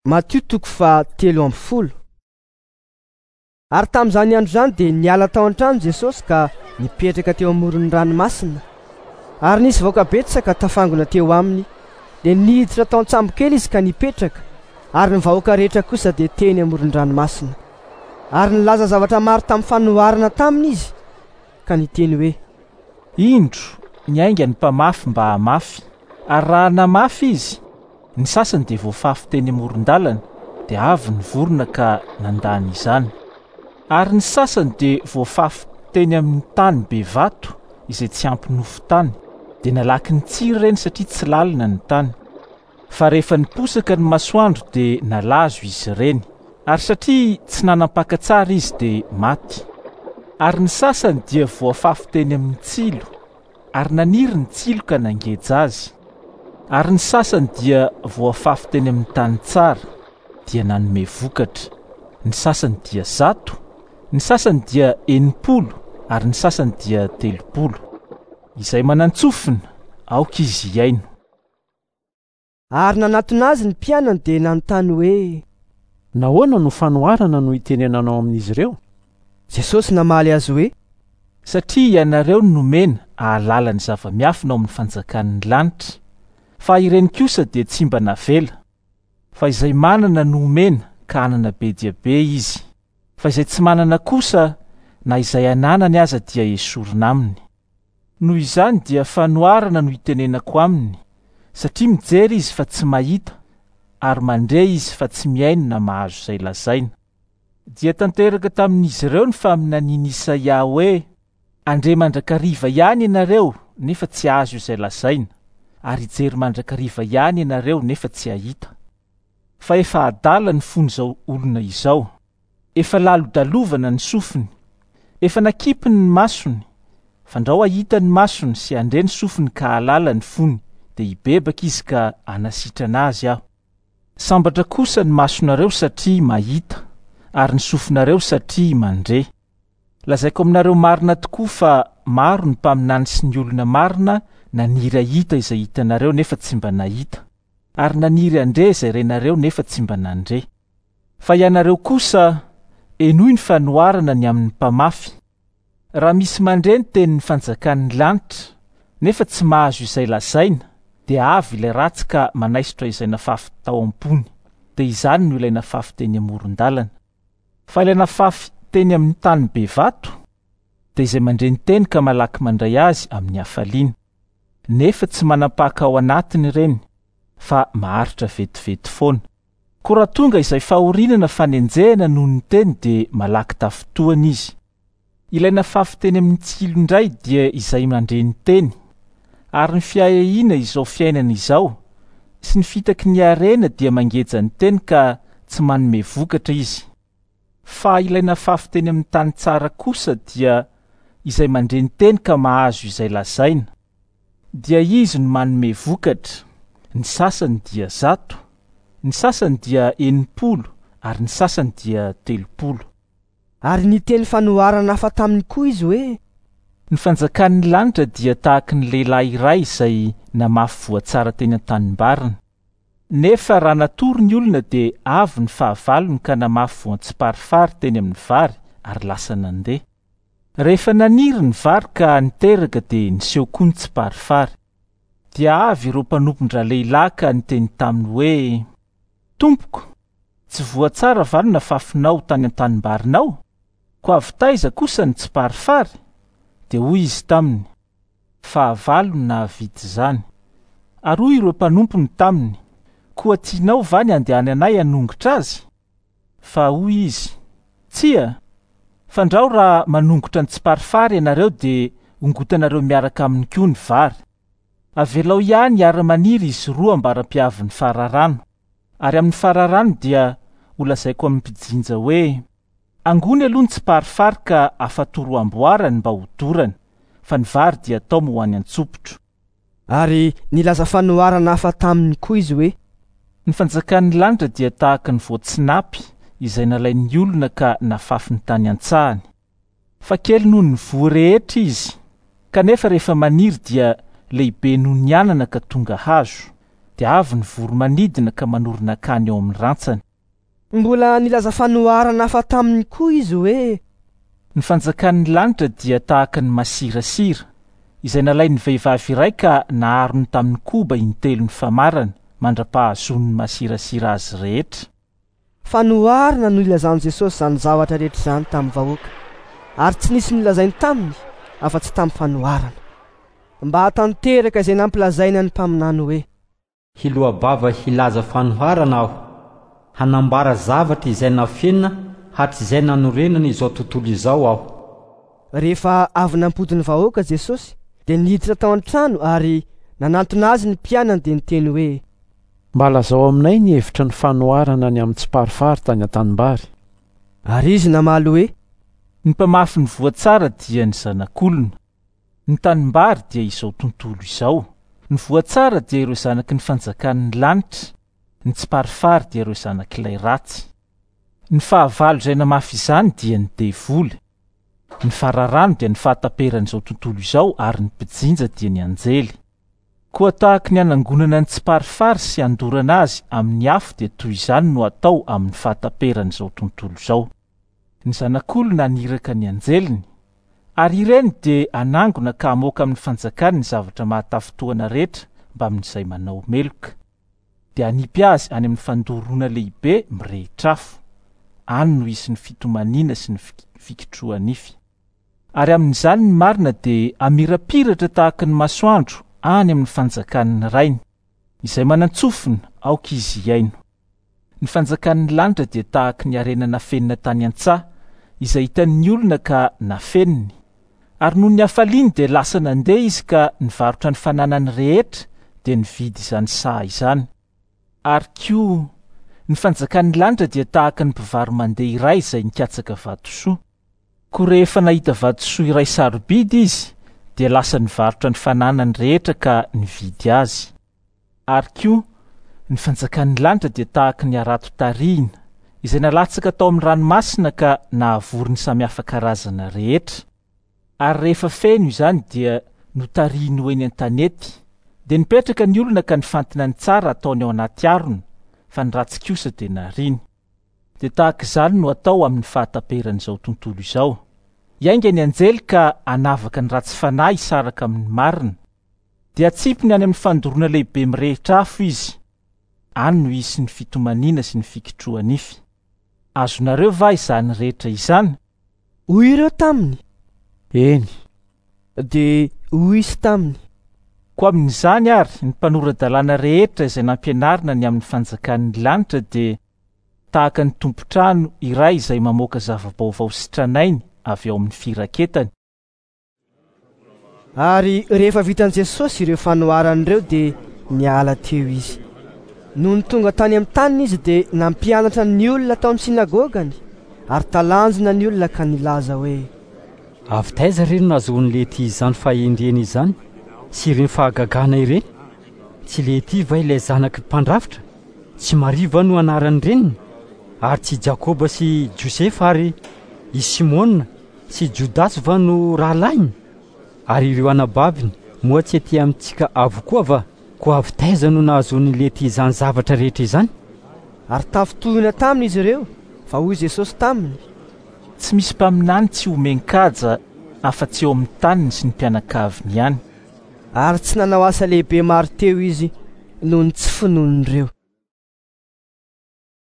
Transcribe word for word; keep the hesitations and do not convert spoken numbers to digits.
Matio toko fahatelo amby folo. Ary tamin'izany andro izany dia niala tao an-trano Jesosy ka nipetraka teo amoron'ny ranomasina. Ary nisy vahoaka betsaka tafangona teo aminy. Dia niditra tao an-tsambo kely izy ka nipetraka, ary ny vahoaka rehetra kosa dia teny amoron-dranomasina. Ary nilaza zavatra maro tamin'ny fanoharana taminy izy, ka niteny hoe: Indro, niainga ny mpamafy mba hamafy, ary raha namafy izy, ny sasany dia voafafy teny amoron-dalana, dia avy ny vorona ka nandany izany. Ary ny sasany dia voafafy teny amin'ny tany be vato izay tsy ampy nofon-tany, dia nalaky ny tsiry ireny satria tsy lalina ny tany. Fa rehefa niposaka ny masoandro dia nalazo izy ireny, ary satria tsy nanam-paka tsara izy dia maty. Ary ny sasany dia voafafy teny amin'ny tsilo, ary naniry ny tsilo ka nangeja azy. Ary ny sasany dia voafafy teny amin'ny tany tsara, dia nanome vokatra. Ny sasany dia zato, ny sasany dia enimpolo, ary ny sasany dia telopolo. Izay manan-tsofina, aoka izy hihaino. Ary nanatona azy ny mpianany dia nanontany hoe: Nahoana no fanoharana no itenenanao amin'izy ireo? Jesosy namaly azy hoe: Satria ianareo no nomena hahalala ny zava-miafina ao amin'ny fanjakan'ny lanitra, fa ireny kosa dia tsy mba navela. Fa izay manana no omena ka hanana be dia be izy, fa izay tsy manana kosa na izay ananany aza dia esorina aminy. Noho izany dia fanoharana no itenenako aminy, satria mijery izy fa tsy mahita, ary mandre izy fa tsy mihaino na mahazo izay lazaina. Dia tanteraka tamin'izy ireo ny faminanian'i Isaia hoe: Handre mandrakariva ihany ianareo nefa tsy hahazo izay lazaina, ary hijery mandrakariva ihany ianareo nefa tsy hahita. Fa efa adala ny fon'izao olona izao, efa lalodalovana ny sofiny, efa nakipiny ny masony, fandrao hahita ny masony sy handre ny sofiny ka hahalala ny fony, dia hibebaka izy ka hanasitrana azy aho. Sambatra kosa ny masonareo satria mahita, ary ny sofinareo satria mandre. Lazaiko aminareo marina tokoa fa maro ny mpaminany sy ny olona marina naniry hahita izay hitanareo nefa tsy mba nahita, ary naniry handre izay renareo nefa tsy mba nandre. Fa ianareo kosa, henoy ny fanoharana ny amin'ny mpamafy. Raha misy mandre ny tenin'ny fanjakan'ny lanitra nefa tsy mahazo izay lazaina, dia avy ilay ratsy ka manaisotra izay nafafy tao am-pony, dia izany no ilay nafafy teny amoron-dalana. Fa ilay nafafy teny amin'ny tany be vato, dia izay mandre ny teny ka malaky mandray azy amin'ny hafaliana, nefa tsy manam-paka ao anatiny ireny, fa maharitra vetivety foana. Koa raha tonga izay fahoriana na fanenjehana noho ny teny dia malaky tafintohana izy. Ilay nafafy teny amin'ny tsilo indray dia izay mandre ny teny, ary ny fiahiahiana izao fiainana izao sy ny fitaky ny harena dia mangeja ny teny ka tsy manome vokatra izy. Fa ilay nafafy teny amin'ny tany tsara kosa dia izay mandre ny teny ka mahazo izay lazaina, dia izy no manome vokatra. Ny sasany dia zato, ny sasany dia enimpolo, ary ny sasany dia telopolo. Ary niteny fanoharana hafa taminy koa izy hoe: Ny fanjakan'ny lanitra dia tahaky ny lehilahy iray izay namafy voa tsara teny an-tanimbariny. Nefa raha natory ny olona dia avy ny fahavalony ka namafy voan-tsiparifary teny amin'ny vary ary lasa nandeha. Rehefa naniry ny vary ka niteraka dia niseho koa ny tsiparifary. Dia avy ireo mpanompon-dralehilahy ka niteny taminy hoe: Tompoko, tsy voa tsara va no nafafinao tany an-tanimbarinao? Koa avy taiza kosa ny tsiparifary? Dia hoy izy taminy: Fahavalo no nahavita izany. Ary hoy ireo mpanompony taminy: Koa tianao va ny handehananay hanongotra azy? Fa hoy izy: Tsia, fandrao raha manongotra ny tsiparifary ianareo dia hongotanareo miaraka aminy koa ny vary. Avelao ihany hiara-maniry izy roa ambara-piavin'ny fararano. Ary amin'ny fararano dia holazaiko amin'ny mpijinja hoe: Angony aloha ny tsiparifary ka afatoro amboarany mba ho dorana, fa ny vary dia atao ho any an-tsopotro. Ary nilaza fanoharana hafa taminy koa izy hoe: Ny fanjakan'ny lanitra dia tahaka ny voatsinapy izay nalain'ny olona ka nafafiny tany an-tsahany. Fa kely noho ny voa rehetra izy, kanefa rehefa maniry dia lehibe noho ny anana ka tonga hazo, Dia avy ny voro-manidina ka manorina akany eo amin'ny rantsany. Mbola nilaza fanoharana hafa taminy koa izy hoe: Ny fanjakan'ny lanitra dia tahaka ny masirasira, izay nalain'ny vehivavy iray ka naharony tamin'ny koba intelo ny famarana, mandra-pahazoany ny masirasira azy rehetra. Fanoharana no ilazan'i Jesosy izany zavatra rehetra izany tamin'ny vahoaka, ary tsy nisy nilazainy taminy afa-tsy tamin'ny fanoharana, mba hahatanteraka izay nampilazaina ny mpaminany hoe: Hiloa-bava hilaza fanoharana aho, hanambara zavatra izay nafenina hatrizay nanorenana izao tontolo izao aho. Rehefa avy nampody ny vahoaka Jesosy, dia niditra tao an-trano ary nanantona azy ny mpianany dia niteny hoe: Mba lazao aminay ny hevitra ny fanoharana ny amin'ny tsiparifary tany an-tanimbary. Ary izy namaly hoe: Ny mpamafy ny voa tsara dia ny zanak'olona. Ny tanimbary dia izao tontolo izao. Ny voa tsara dia ireo zanaky ny fanjakan'ny lanitra. Ny tsiparifary dia ireo zanak'ilay ratsy. Ny fahavalo izay namafy izany dia ny devoly. Ny fararano dia ny fahataperan'izao tontolo izao ary ny mpijinja dia ny anjely. Koa tahaky ny anangonana ny tsiparifary sy andorana azy amin'ny afo dia toy izany no atao amin'ny fahataperan'izao tontolo izao. Ny zanak'olona naniraka ny anjeliny, ary ireny dia anangona ka hamoaka amin'ny fanjakany ny zavatra mahatafintohana rehetra mbamin'izay manao meloka. Dia hanipy azy any amin'ny fandoroana lehibe mirehitra afo. Any no hisy ny fitomaniana sy ny fikitroha-nify. Ary amin'izany ny marina dia hamirapiratra tahaka ny masoandro any amin'ny fanjakan'ny rainy. Izay manan-tsofina aoka izy hihaino. Ny fanjakan'ny lanitra dia tahaka ny harena nafenina tany an-tsaha, izay hitan'ny olona ka nafeniny. Ary noho ny hafaliany dia lasa nandeha izy ka nivarotra ny fananany rehetra dia nividy izany saha izany. Ary koa ny fanjakan'ny lanitra dia tahaka ny mpivaro-mandeha iray izay nikatsaka vatosoa. Koa rehefa nahita vatosoa iray sarobidy izy, dia lasa nivarotra ny fananany rehetra ka nividy azy. Ary koa ny fanjakan'ny lanitra dia tahaka ny harato tarihina, izay nalatsaka tao amin'ny ranomasina ka nahavory ny samihafa karazana rehetra. Ary rehefa feno izany dia notarihiny ho eny an-tanety. Dia nipetraka ny olona ka nifantina ny tsara ataony ao anaty harona, fa ny ratsy kosa dia nariany. Dia tahaka izany no atao amin'ny fahataperan'izao tontolo izao. Hiainga ny anjely ka hanavaka ny ratsy fanahy hisaraka amin'ny marina. Dia hatsipiny any amin'ny fandoroana lehibe mirehitra afo izy. Any no hisy ny fitomaniana sy ny fikitroha-nify. Azonareo va izany rehetra izany? Hoy ireo taminy: Eny. Dia hoy izy taminy: Koa amin'izany ary ny mpanora-dalàna rehetra izay nampianarina ny amin'ny fanjakan'ny lanitra dia tahaka ny tompon-trano iray izay mamoaka zava-baovao sy tranainy avy ao amin'ny firaketany. Ary rehefa vitan'i Jesosy ireo fanoharana ireo dia niala teo izy. Nony tonga tany amin'ny taniny izy dia nampianatra ny olona tao amin'ny sinagogany, ary talanjona ny olona ka nilaza hoe: Avy taiza re no nahazoan'ny lehilahy izany fahendrena izany sy ireny fahagagana ireny? Tsy lehilahy va ilay zanaky mpandrafitra? Tsy Maria va no anaran'ny reniny? Ary tsy Jakoba sy Josefa ary i Simona sy Jodasy va no rahalahiny? Ary ireo anabaviny moa tsy aty amintsika avokoa va? Koa avy taiza no nahazoan'ny lehilahy izany zavatra rehetra izany? Ary tafintohina taminy izy ireo, fa hoy Jesosy taminy: Tsy misy mpaminany tsy omen-kaja afa-tsy eo amin'ny taniny sy ny mpianakaviny ihany. Ary tsy nanao asa lehibe maro teo izy noho ny tsy finoan'ireo.